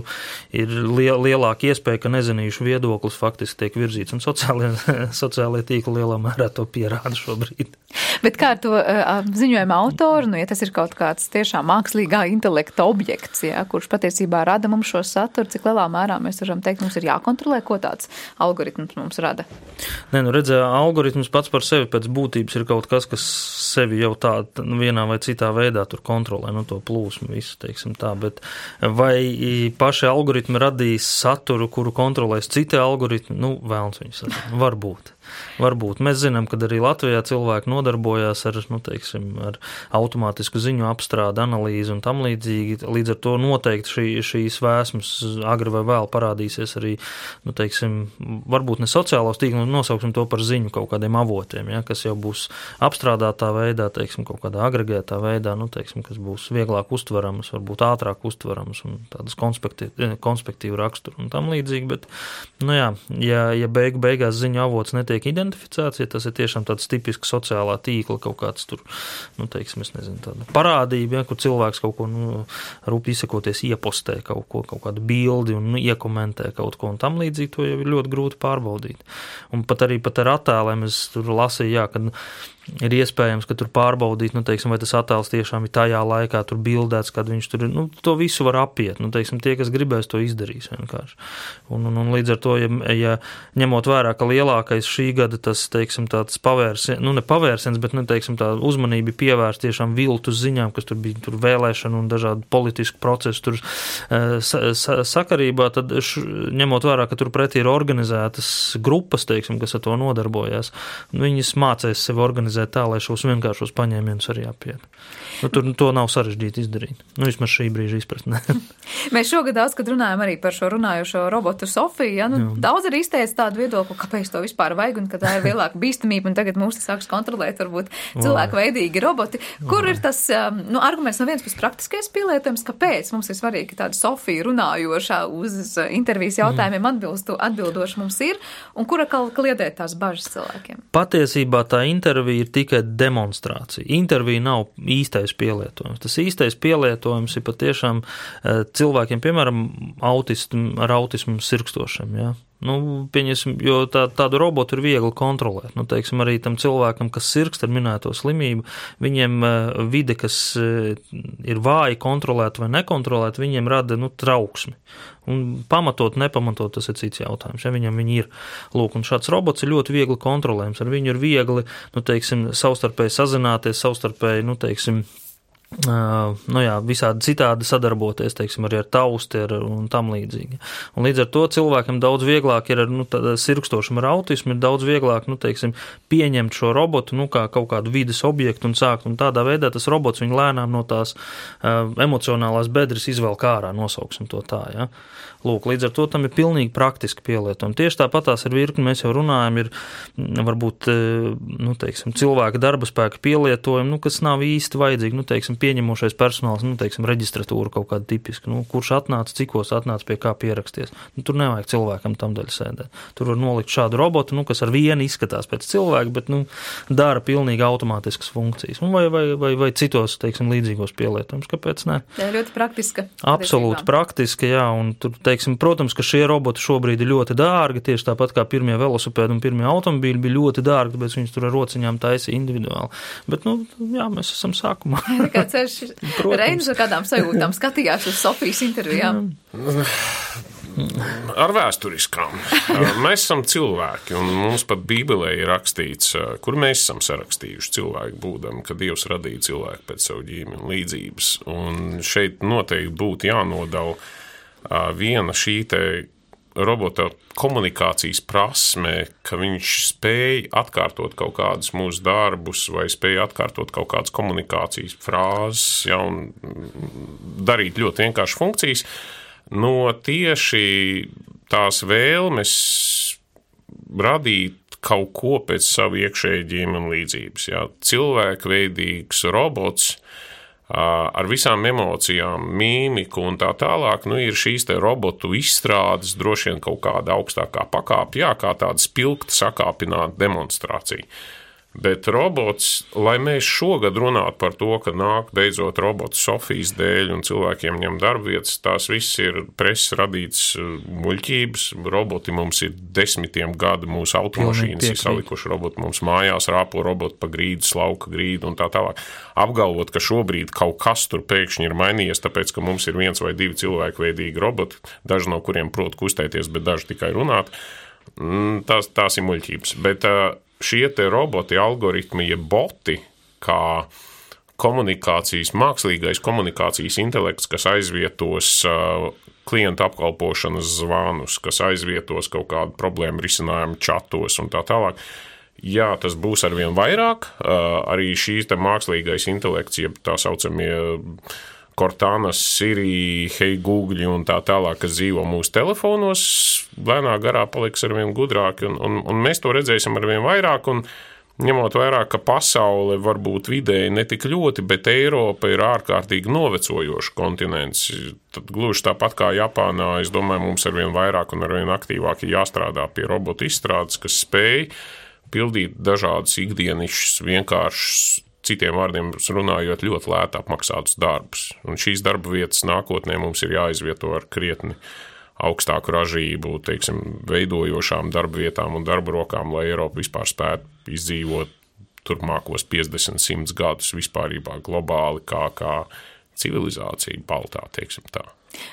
ir liel, lielāka iespēja, ka nezinīšu viedoklis faktiski tiek virzīts, un sociālie, sociālie tīkli lielā mērā to pierāda šobrīd. Bet kā ar to uh, ziņojuma autoru, nu, ja tas ir kaut kāds tiešām mākslīgā intelekta objekts, ja, kurš patiesībā rada mums šo saturu, cik lielā mērā mēs varam teikt, mums ir jākontrolē, ko tāds algoritms mums rada? Nē, nu redzē, algoritms pats par sevi pēc būtības ir kaut kas, kas sevi jau tā nu, vienā vai citā veidā tur kontrolē, nu to plūsmu visu, teiksim tā, bet vai paši algoritmi radīs saturu, kuru kontrolēs citi algoritmi, nu vēlns viņus sadara, varbūt. Varbūt. Mēs zinām, ka arī Latvijā cilvēki nodarbojās ar, nu, teiksim, ar automātisku ziņu apstrādi, analīzi un tam līdzīgi. Līdz ar to noteikti šī, šīs vēsmas agri vai vēl parādīsies arī, nu, teiksim, varbūt ne sociālos tīklos, nosauksim to par ziņu kaut kādiem avotiem, ja, kas jau būs apstrādātā veidā, teiksim, kaut kādā agregētā veidā, nu, teiksim, kas būs vieglāk uztveramas, varbūt ātrāk uztveramas un tādas konspektīvu, konspektīvu raksturu un tam līdzīgi, bet, nu jā, ja, ja beigu beigās ziņu avots netiek identificēts, ja tas ir tiešām tāds tipisks sociālā tīkla kaut kāds tur, nu, teiksim, es nezinu, tāda parādība, ja, kur cilvēks kaut ko, nu, rūp izsakoties iepostē kaut ko, kaut kādu bildi un nu, iekomentē kaut ko un tam līdzīgi, to jau ir ļoti grūti pārbaudīt. Un pat arī pat ar attēliem es tur lasīju, jā, kad ir iespējams, ka tur pārbaudīt, nu, teiksim, vai tas attēls tiešām ir tajā laikā tur bildēts, kad viņš tur ir, nu, to visu var apiet, nu, teiksim, tie, kas gribēs, to izdarīs vienkārši. Un, un, un līdz ar to, ja, ja ņemot vērā, ka lielākais šī gada tas, teiksim, tāds pavērsiens, nu, ne pavērsiens, bet, nu, teiksim, tā uzmanība pievērst tiešām viltus ziņām, kas tur bija tur vēlēšana un dažādi politisku procesu tur sa, sa, sakarībā, tad š, ņemot vērā, ka tur pretī ir organizētas grupas, teiksim, kas ar to nodarbojās, viņas mācēs sevi organizēt tā, lai šos vienkāršos paņēmienus arī apiet. Nu, tur to nav sarežģīti izdarīt. Nu, vismaz šī brīža izpratnē. Mēs šogad daudz, kad runājam arī par šo runājošo robotu Sofiju, ja, nu, Jā. daudz arī izteica tādu viedokli, kāpēc to vispār vajag un ka tā ir lielāka bīstamība un tagad mūs sāks kontrolēt varbūt cilvēku veidīgi roboti. Kur ir tas, nu, arguments no viens pēc praktiskais pielietojums, kāpēc mums ir svarīgi tāda Sofija runājošā uz intervijas jautājumiem atbilstu, atbildoši mums ir un kura kliedēt tās bažas cilvēkiem? Patiesībā tā intervija ir tikai demonstrācija. Intervija nav īstais pielietojums. Tas īstais pielietojums ir patiešām cilvēkiem, piemēram, autismu, ar autismu sirkstošiem, ja? Nu, pieņasim, jo tā, tādu robotu ir viegli kontrolēt. Nu, teiksim, arī tam cilvēkam, kas sirkst ar minēto slimību, viņiem vide, kas ir vāji kontrolēt vai nekontrolēt, viņiem rada, nu, trauksmi. Un pamatot, nepamatot, tas ir cits jautājums. Ja viņam viņi ir, lūk, un šāds robots ir ļoti viegli kontrolējams. Ar viņu ir viegli, nu, teiksim, savstarpēji sazināties, savstarpēji, nu, teiksim, Uh, nu jā, visādi citādi sadarboties, teiksim, arī ar tausti ar, un tam līdzīgi. Un līdz ar to cilvēkam daudz vieglāk ir ar, nu, sirkstošam ar autismu, ir daudz vieglāk, nu, teiksim, pieņemt šo robotu, nu, kā kaut kādu vides objektu un sākt, un tādā veidā tas robots viņu lēnām no tās uh, emocionālās bedres izvelk ārā, nosauksim to tā, ja. Lūk, līdz ar to tam ir pilnīgi praktiski pielietojumi. Tieši tāpatās ar virkni mēs jau runājam, ir varbūt, nu, teiksim, cilvēka darba spēka pielietojumi, nu, kas nav īsti vajadzīgi, nu, teiksim, pieņemošais personāls, nu, teiksim, reģistratūra kaut kāda tipiska, nu, kurš atnāca, cikos atnāca pie kā pieraksties. Nu, tur nevajag cilvēkam tam daļ sēdēt. Tur var nolikt šādu robotu, nu, kas ar vienu izskatās pēc cilvēka, bet, nu, dara pilnīgi automātiskas funkcijas. Un vai, vai, vai, vai citos, teiksim, līdzīgos pielietojumus. Kāpēc ne? Jā, ļoti praktiska. Absolūti praktiska, jā, un tur, teiksim, protams, ka šie roboti šobrīd ir ļoti dārgi, tieši tāpat kā pirmie velosipēdi un pirmie automobīļi bija ļoti dārgi, tāpēc viņus tur ar rociņām taisa individuāli. Bet, nu, jā, mēs esam sākumā. Tā kā ceļš Reinis ar kādām sajūtām skatījās uz Sofijas intervijām. Ar vēsturiskām. Mēs esam cilvēki, un mums pat Bībelē ir rakstīts, kur mēs esam sarakstījuši cilvēku būdami, ka Dievs radīja cilvēku pēc savu ģimeni līdzības. Un šeit noteikti būtu jānodala viena šī te robota komunikācijas prasme, ka viņš spēj atkārtot kaut kādus mūsu darbus vai spēj atkārtot kaut kādas komunikācijas frāzes, ja, un darīt ļoti vienkārši funkcijas, no tieši tās vēlmes radīt kaut ko pēc savu iekšēju ģimeni līdzības. Ja. Cilvēkveidīgs robots ar visām emocijām, mīmiku un tā tālāk, nu, ir šīs te robotu izstrādes, droši vien kaut kāda augstākā pakāpe, jā, kā tāda spilgta sakāpināta demonstrācija. Bet robots, lai mēs šogad runātu par to, ka nāk beidzot robots Sofijas dēļ un cilvēkiem ņem darbvietas, tās viss ir preses radīts muļķības. Roboti mums ir desmitiem gadu, mūsu automašīnas ir salikuši roboti mums mājās, rāpo roboti pa grīdu, slauka grīdu un tā tālāk. Apgalvot, ka šobrīd kaut kas tur pēkšņi ir mainījies, tāpēc, ka mums ir viens vai divi cilvēkveidīgi roboti, daži no kuriem prot kustēties, bet daži tikai runāt, tās, tās ir muļķības. Bet šie te roboti, algoritmi, ja boti, kā komunikācijas, mākslīgais komunikācijas intelekts, kas aizvietos uh, klientu apkalpošanas zvanus, kas aizvietos kaut kādu problēmu risinājumu čatos un tā tālāk. Jā, tas būs arvien vairāk. Uh, arī šīs te mākslīgais intelekts, jeb tā saucamie Cortānas, Siri, Hey Google un tā tālāk, kas dzīvo mūsu telefonos, lēnā garā paliks arvien gudrāki, un, un, un mēs to redzēsim arvien vairāk, un ņemot vairāk, ka pasaule varbūt vidēji netik ļoti, bet Eiropa ir ārkārtīgi novecojošs kontinents. Tad gluži tāpat kā Japānā, es domāju, mums arvien vairāk un arvien aktīvāk ir jāstrādā pie robotu izstrādes, kas spēj pildīt dažādus ikdienišķus, vienkāršus, citiem vārdiem runājot, ļoti lēti apmaksātus darbus. Un šīs darba vietas nākotnē mums ir jāizvieto ar krietni augstāku ražību, teiksim, veidojošām darba vietām un darba rokām, lai Eiropa vispār spētu izdzīvot turpmākos piecdesmit simts gadus vispārībā globāli kā, kā civilizācija baltā, teiksim tā.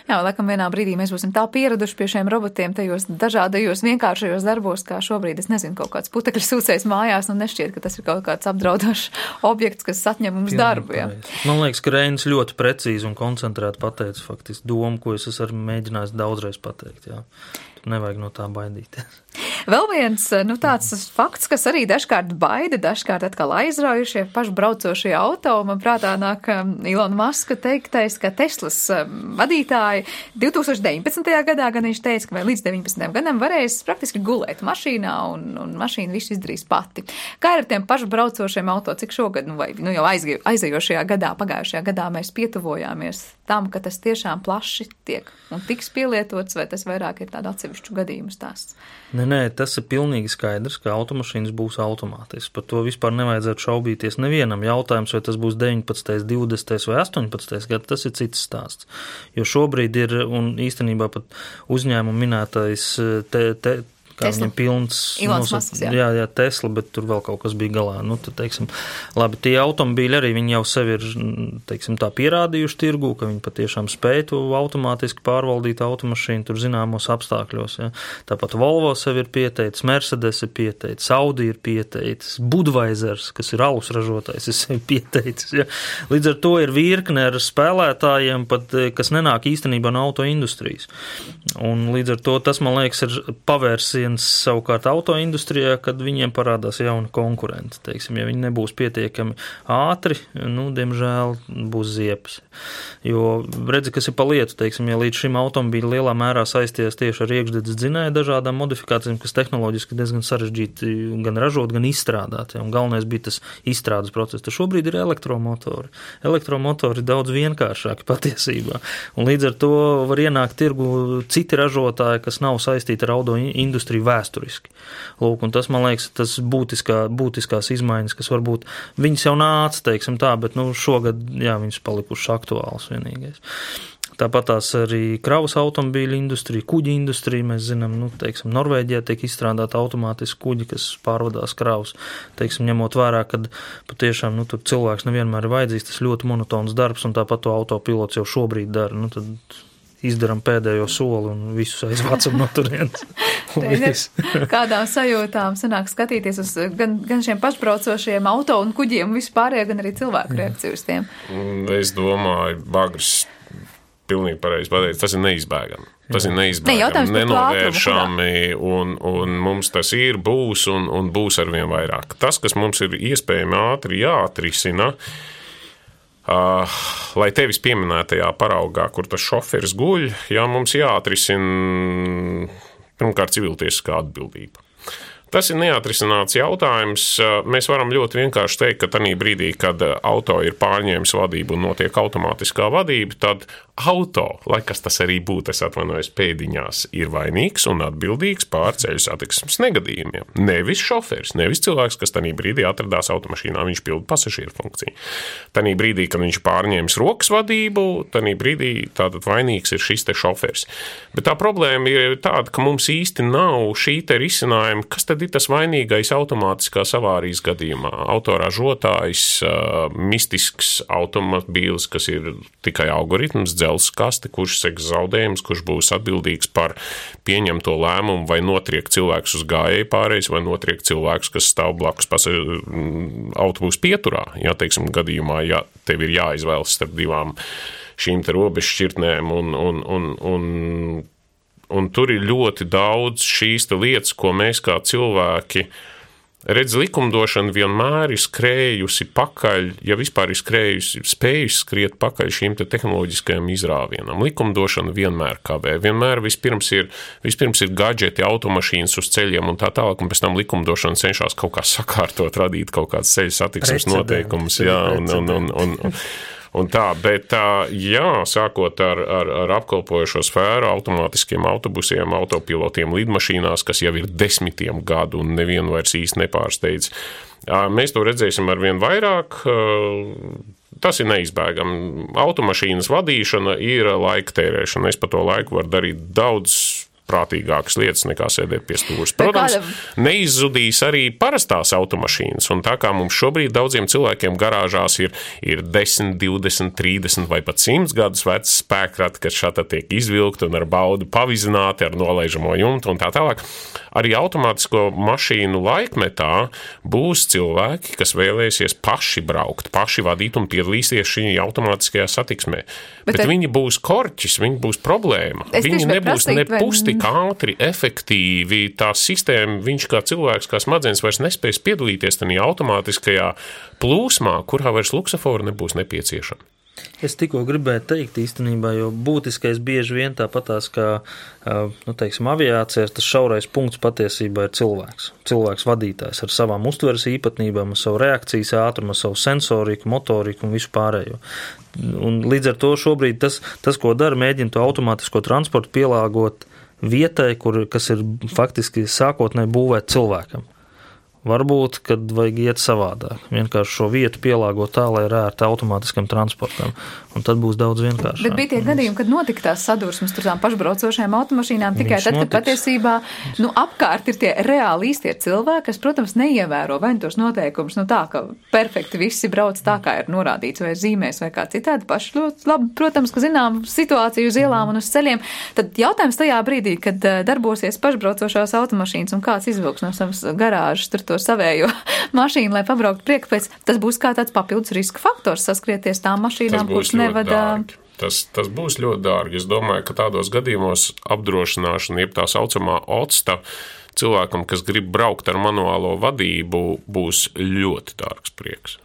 Jā, laikam vienā brīdī mēs būsim tā pieraduši pie šiem robotiem tajos dažādajos vienkāršajos darbos, kā šobrīd, es nezinu, kaut kāds putekļu sūcējs mājās, un nešķiet, ka tas ir kaut kāds apdraudošs objekts, kas atņem mums Pilnīgi darbu. Jā. Man liekas, ka Reinis ļoti precīzi un koncentrēti pateica faktiski domu, ko es esmu mēģinājis daudzreiz pateikt. Jā. Nevajag no tā baidīties. Vēl viens, nu, tāds fakts, kas arī dažkārt baida, dažkārt atkal aizraujušie pašbraucošie auto. Man prātā nāk Ilona Maska teiktais, ka Teslas vadītāji divtūkstoš deviņpadsmitajā gadā gan viņš teica, ka vēl līdz deviņpadsmitajam gadam varēs praktiski gulēt mašīnā un, un mašīna visu izdarīs pati. Kā ir ar tiem pašbraucošiem auto, cik šogad, nu, vai nu, jau aizgāj, aizējošajā gadā, pagājušajā gadā mēs pietuvojāmies tam, ka tas tiešām plaši tiek un tiks pielietots, vai tas vairāk ir tāda atsevišķu gadījumu stāsts? Nē, nē, tas ir pilnīgi skaidrs, ka automašīnas būs automātisks. Par to vispār nevajadzētu šaubīties nevienam. Jautājums, vai tas būs deviņpadsmitais, divdesmitais vai astoņpadsmitais gads, tas ir cits stāsts. Jo šobrīd ir, un īstenībā pat uzņēmumu minētais te, te, kā Tesla. viņam pilns. Ilons nosat, Masks, jā. jā, jā, Tesla, bet tur vēl kaut kas bija galā. Nu, tad, teiksim, labi, tie automobīļi arī viņi jau sevi ir, teiksim, tā pierādījuši tirgu, ka viņi patiešām spēj to automātiski pārvaldīt automašīnu tur zināmos apstākļos. Ja. Tāpat Volvo sevi ir pieteicis, Mercedes ir pieteicis, Audi ir pieteicis, Budweisers, kas ir alus ražotājs, ir sevi pieteicis. Ja. Līdz ar to ir virkne ar spēlētājiem, pat, kas nenāk īstenībā no autoindustrijas. Un līdz ar to tas, man liekas, ir pavērsiens savukārt autoindustrijā, kad viņiem parādās jauni konkurenti. Teiksim, ja viņi nebūs pietiekami ātri, nu, diemžēl būs ziepes. Jo redzi, kas ir pa lietu, teiksim, ja līdz šim automobīļi lielā mērā saisties tieši ar iekšdedzes dzinēju dažādām modifikācijām, kas tehnoloģiski diezgan sarežģīti gan ražot, gan izstrādāt. Ja, un galvenais bija tas izstrādes process. Tad šobrīd ir elektromotori. Elektromotori ir daudz vienkāršāki patiesībā. Un līdz ar to var ienākt tirgu citi ražotāji, kas nav saistīti ar auto industriju vēsturiski. Lūk, un tas, man liekas, tas būtiskā, būtiskās izmaiņas, kas varbūt viņas jau nāca, teiksim tā, bet nu, šogad, jā, viņas palikušas aktuāls vienīgais. Tāpat tās arī kravas automobīļu industrija, kuģi industrija, mēs zinām, nu, teiksim, Norvēģijā tiek izstrādāta automātiski kuģi, kas pārvadās kravas, teiksim, ņemot vērā, kad patiešām, nu, tur cilvēks nevienmēr ir vajadzīgs, tas ļoti monotons darbs, un tāpat to autopilots jau šobrīd dara, nu, tad izdaram pēdējo soli un visus aizvācam no turienes. Kādām sajūtām sanāk skatīties uz gan, gan šiem pašbraucošiem auto un kuģiem un vispārējā, gan arī cilvēku reakciju uz tiem? Es domāju, Bagrs pilnīgi pareizi pateicis, tas ir neizbēgami. Tas ir neizbēgami, ne, nenovēršami, un, un mums tas ir, būs un, un būs arvien vairāk. Tas, kas mums ir iespējami ātri jāatrisina, Uh, lai tevis pieminētajā paraugā, kur tas šoferis guļ, jā, mums jāatrisina pirmkārt civiltiesiskā atbildība. Tas ir neatrisināts jautājums. Mēs varam ļoti vienkārši teikt, ka tajā brīdī, kad auto ir pārņēmis vadību un notiek automātiskā vadība, tad auto, lai kas tas arī būtu, es atvainojos pēdiņās, ir vainīgs un atbildīgs pār ceļu satiksmes negadījumiem. Nevis šoferis, nevis cilvēks, kas tajā brīdī atradās automašīnā, viņš pilda pasažieru funkciju. Tajā brīdī, kad viņš pārņēmis rokas vadību, tajā brīdī tātad vainīgs ir šis te šoferis. Bet tā problēma ir tāda, ka mums īsti nav šī te risinājuma, kas tad ir tas vainīgais automātiskās avārijas gadījumā. Autoražotājs, mistisks automobīls, kas ir tikai algoritms, dzelzs kaste, kurš seks zaudējums, kurš būs atbildīgs par pieņemto lēmumu, vai notriek cilvēks uz gājēju pārējais, vai notriek cilvēks, kas stāv blakus autobusu pieturā. Jā, teiksim, gadījumā, ja tev ir jāizvēlas starp divām šīm te robežšķirtnēm un, un, un, un Un tur ir ļoti daudz šīs lietas, ko mēs kā cilvēki redz, likumdošana vienmēr ir skrējusi pakaļ, ja vispār ir skrējusi, spējusi skriet pakaļ šīm te tehnoloģiskajām izrāvienām. Likumdošana vienmēr kavē. Vienmēr vispirms ir, vispirms ir gadžeti, automašīnas uz ceļiem un tā tālāk, un pēc tam likumdošana cenšas kaut kā sakārtot, radīt kaut kāds ceļu satiksmes noteikumus. Jā, un, un, un, un, un, Un tā, bet jā, sākot ar, ar, ar apkalpojošo sfēru, automātiskiem autobusiem, autopilotiem, lidmašīnās, kas jau ir desmitiem gadu un nevienu vairs īsti nepārsteidz. Mēs to redzēsim arvien vairāk. Tas ir neizbēgami. Automašīnas vadīšana ir laika tērēšana. Es pa to laiku varu darīt daudz prātīgākas lietas nekā sēdēt pie stūres. Protams, neizzudīs arī parastās automašīnas, un tā kā mums šobrīd daudziem cilvēkiem garāžās ir, ir desmit, divdesmit, trīsdesmit vai pat simts gadus vecs spēkrati, kas šādi tiek izvilkti un ar baudu pavizināti ar nolaižamo jumtu un tā tālāk. Arī automātisko mašīnu laikmetā būs cilvēki, kas vēlēsies paši braukt, paši vadīt un piedalīsies šī automātiskajā satiksmē. Bet, Bet viņi būs korķis, viņi būs problēma. Viņi nebūs ne pusti ātri, efektīvi, tā sistēma, viņš kā cilvēks, kā smadzenes vairs nespēs piedalīties tajā automātiskajā plūsmā, kurā vairs luksafori nebūs nepieciešami. Es tikko gribēju teikt īstenībā, jo būtiskais bieži vien tāpatās, kā, nu, teiksim, aviācijās, tas šaurais punkts patiesībā ir cilvēks. Cilvēks vadītājs ar savām uztveres īpatnībām, ar savu reakcijas ātrumu, ar savu sensoriku, motoriku un visu pārējo. Un līdz ar to šobrīd tas, tas ko dara, mēģina to automātisko transportu pielāgot vietai, kur, kas ir faktiski sākotnēji būvēt cilvēkam. Varbūt, kad vajag iet savādāk. Vienkārši šo vietu pielāgot tā, lai ir ērti automātiskam transportam. Un tad būs daudz vienkāršāk. Bet bija tie gadījumi, kad notika tās sadursmes tur tām pašbraucošajām automašīnām tikai Viņš tad, kad notiks. patiesībā, nu, apkārt ir tie reāli īstie cilvēki, kas, protams, neievēro vai tos noteikumus, nu tā, ka perfekti visi brauc tā, kā ir norādīts vai zīmēs vai kā citādi paši ļoti labi, protams, ka zinām situāciju uz ielām un uz ceļiem. Tad jautājums tajā brīdī, kad darbosies pašbraucošās automašīnas un kāds izvilks no savas garāžas tur to savējo mašīnu, lai pabrauktu priekšpēc, tas būs kā tāds papildus riska faktors saskrieties tām mašīnām, kuras nevada. Tas, tas būs ļoti dārgi. Es domāju, ka tādos gadījumos apdrošināšana, jeb tā saucamā otsta, cilvēkam, kas grib braukt ar manuālo vadību, būs ļoti dārgs prieks.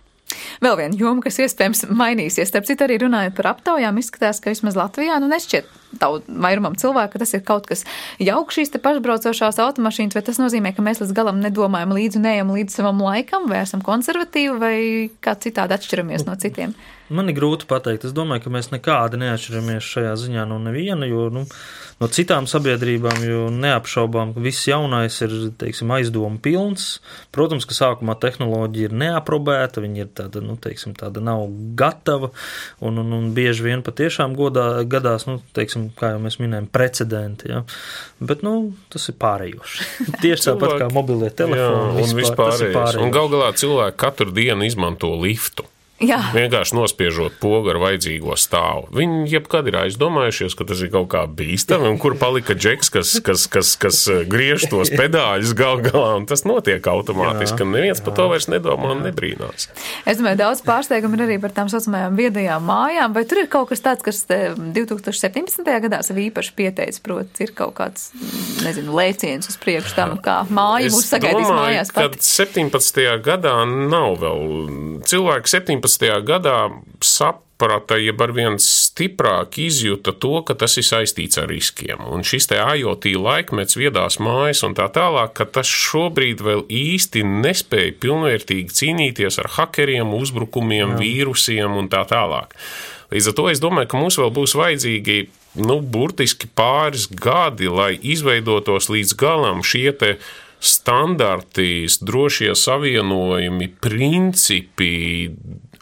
Vēl viena joma, kas iespējams mainīsies. Starp citu, arī runājot par aptaujām, izskatās, ka vismaz Latvijā, nu nešķiet vairumam cilvēku, ka tas ir kaut kas jauks šīs te pašbraucošās automašīnas, vai tas nozīmē, ka mēs līdz galam nedomājam līdzi un neejam līdz savam laikam, vai esam konservatīvi, vai kā citādi atšķiramies no citiem? Man ir grūti pateikt. Es domāju, ka mēs nekādi neatšķiramies šajā ziņā no neviena, jo, nu, no citām sabiedrībām, jo neapšaubām, ka viss jaunais ir, teiksim, aizdomu pilns. Protams, ka sākumā tehnoloģija ir neaprobēta, viņa ir tāda, nu, teiksim, tāda nav gatava, un, un, un bieži vien patiešām godā, gadās, nu, teiksim, kā jau mēs minējam, precedenti, ja. Bet, nu, tas ir pārējoši. Tieši tāpat kā mobilie telefoni. Jā, un vispārējais. Un gal galā cilvēki katru dienu izmanto liftu. Jā. Vienkārši nospiežot pogu ar vajadzīgo stāvu. Viņi jebkad ir aizdomājušies, ka tas ir kaut kā bīstami, un kur palika džeks, kas, kas, kas, kas griež tos pedāļus gal galā, un tas notiek automātiski, un neviens par to vairs nedomā un nebrīnās. Es domāju, daudz pārsteigumu ir arī par tām saucamajām viedajām mājām, vai tur ir kaut kas tāds, kas divi tūkstoši septiņpadsmitajā gadā sev īpaši pieteicis, proti, ir kaut kāds, nezinu, lēciens uz priekšu tam, kā māja mūs sagaidīs mājās pat. Es domāju, ka septiņpadsmitajā gadā nav vēl cilvēki septiņpadsmitajā gadā saprata, jeb arvien stiprāk izjuta to, ka tas ir saistīts ar riskiem. Un šis te IoT laikmets, viedās mājas un tā tālāk, ka tas šobrīd vēl īsti nespēja pilnvērtīgi cīnīties ar hakeriem, uzbrukumiem, Jā. vīrusiem un tā tālāk. Līdz ar to es domāju, ka mums vēl būs vajadzīgi, nu, burtiski pāris gadi, lai izveidotos līdz galam šie te standarti, drošie savienojumi, principi,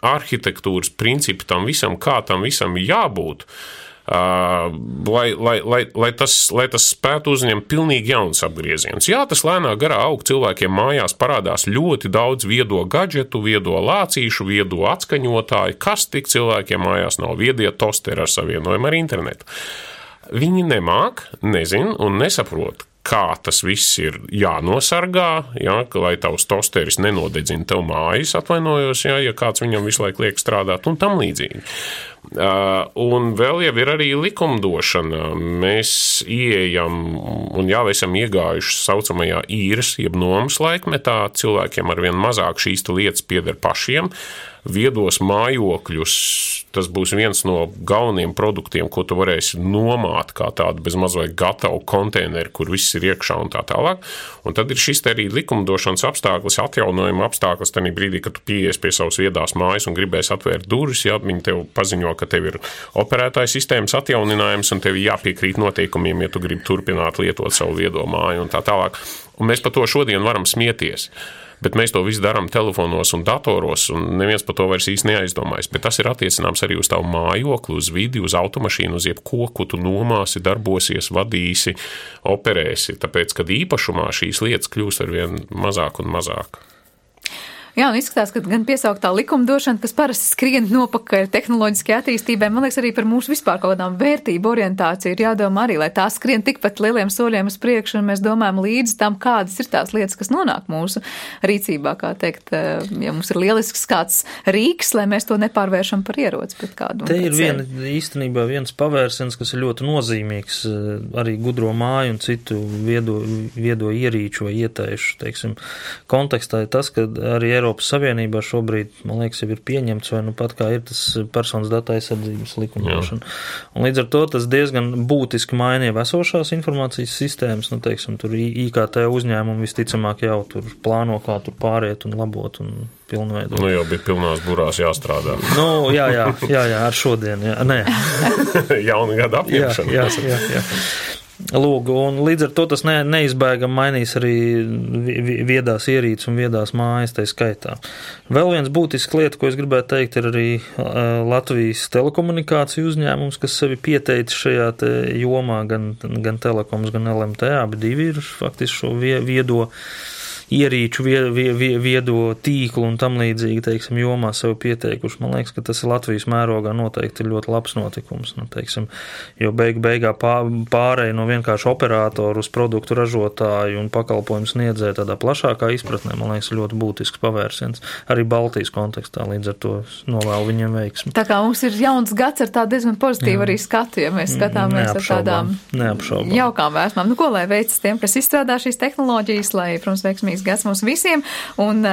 arhitektūras principi tam visam, kā tam visam jābūt, uh, lai, lai, lai, lai, tas, lai tas spētu uzņemt pilnīgi jauns apgrieziens. Jā, tas lēnā garā aug, cilvēkiem mājās parādās ļoti daudz viedo gadžetu, viedo lācīšu, viedo atskaņotāju, kas tik cilvēkiem mājās nav, viedie tosteri ar savienojumu ar internetu. Viņi nemāk, nezin un nesaprot, kā tas viss ir jānosargā, ja, lai tavs tosteris nenodedzina tev mājas, atvainojos, ja, ja kāds viņam visu laiku liek strādāt un tam līdzīgi. Uh, un vēl jau ir arī likumdošana. Mēs ieejam un jau esam iegājuši saucamajā īres, jeb nomas laikmetā. Cilvēkiem arvien mazāk šīs lietas pieder pašiem. Viedos mājokļus, tas būs viens no galvenajiem produktiem, ko tu varēsi nomāt kā tādu bez mazliet gatavu konteineru, kur viss ir iekšā un tā tālāk. Un tad ir šis te arī likumdošanas apstākļus, atjaunojuma apstākļus tajā brīdī, kad tu pieies pie savas viedās mājas un gribēsi atvērt durvis, ja viņi tev paziņo, ka tev ir operētāja sistēmas atjauninājums un tev jāpiekrīt noteikumiem, ja tu gribi turpināt lietot savu viedo māju un tā tālāk. Un mēs par to šodien varam smieties. Bet mēs to visu darām telefonos un datoros, un neviens par to vairs īsti neaizdomājas. Bet tas ir attiecināms arī uz tavu mājokli, uz vidi, uz automašīnu, uz jebko, ko tu nomāsi, darbosies, vadīsi, operēsi. Tāpēc, kad īpašumā šīs lietas kļūst arvien mazāk un mazāk. Jā, un izskatās, ka gan piesauktā likumdošana, kas parasti skrien nopakaļ tehnoloģiskai attīstībai, man liekas, arī par mūsu vispār kaut kādām vērtību orientāciju ir jādomā arī, lai tā skrien tikpat lieliem soļiem uz priekšu, un mēs domājam līdz tam, kādas ir tās lietas, kas nonāk mūsu rīcībā, kā teikt, ja mums ir lielisks kāds rīks, lai mēs to nepārvēršam par ieroci pret kādu. Te ir viena, īstenībā viens pavērsiens, kas ir ļoti nozīmīgs arī gudro māju un citu viedo, viedo ierīču vai ietaišu, teiksim, kontekstā ir tas, ka arī Eiropas Savienībā šobrīd, man liekas, jau ir pieņemts, vai nu pat kā ir tas personas datu aizsardzības likumdošana. Un līdz ar to tas diezgan būtiski mainīja esošās informācijas sistēmas, nu, teiksim, tur I K T uzņēmumi visticamāk jau tur plāno, kā tur pāriet un labot un pilnveidot. Nu, jau bija pilnās burās jāstrādā. Nu, jā, jā, jā, jā, ar šodien, jā, nē. Jauna gada apņemšana. Jā, jā, jā, jā. Lūk, un līdz ar to tas ne, neizbēgam mainīs arī viedās ierīces un viedās mājas tai skaitā. Vēl viens būtisks lieta, ko es gribētu teikt, ir arī Latvijas telekomunikāciju uzņēmums, kas sevi pieteicis šajā te jomā, gan, gan telekoms, gan L M T, abi divi ir faktiski šo viedo ierīču, viedo tīklu un tam līdzīgi, teiksim, jomā sev pieteikuši. Man liekas, ka tas ir Latvijas mērogā noteikti ļoti labs notikums. Nu, teiksim, jo beig, beigā pārēja no vienkārši operātoru uz produktu ražotāju un pakalpojumu sniedzēju tādā plašākā izpratnē, man liekas, ļoti būtisks pavērsiens. Arī Baltijas kontekstā, līdz ar to novēlu viņiem veiksmi. Tā kā mums ir jauns gads ar tādu diezgan pozitīvu arī skatu, ja mēs skatāmies ar tādām neapšaubām. Jaukām vēsmām. Nu, ko lai veicas tiem, kas izstrādā šīs tehnoloģijas, lai, protams, veiksmīgs gads mums visiem, un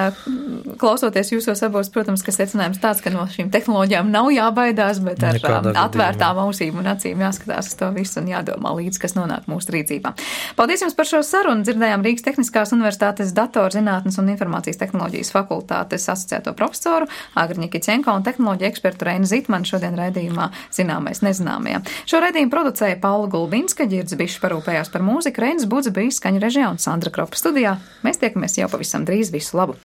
klausoties jūsos abos, protams, ka secinājums tāds, ka no šīm tehnoloģijām nav jābaidās, bet ar Nekādā atvērtām ausīm un acīm jāskatās uz to visu un jādomā līdz, kas nonāk mūsu rīcībā. Paldies jums par šo sarunu. Dzirdējām Rīgas Tehniskās universitātes datorzinātnes un informācijas tehnoloģijas fakultātes asociēto profesoru Agriņu Kicenko un tehnoloģiju ekspertu Reinu Zitmanu šodien raidījumā Zināmais nezināmajā. Šo raidījumu producēja Paula Gulbinska, Ģirds Bišs parūpējās par mūziku, Reinis Budze bija skaņu režijā un Sandra Kropa studijā. Mēs tiekamies jau pavisam drīz. Visu labu!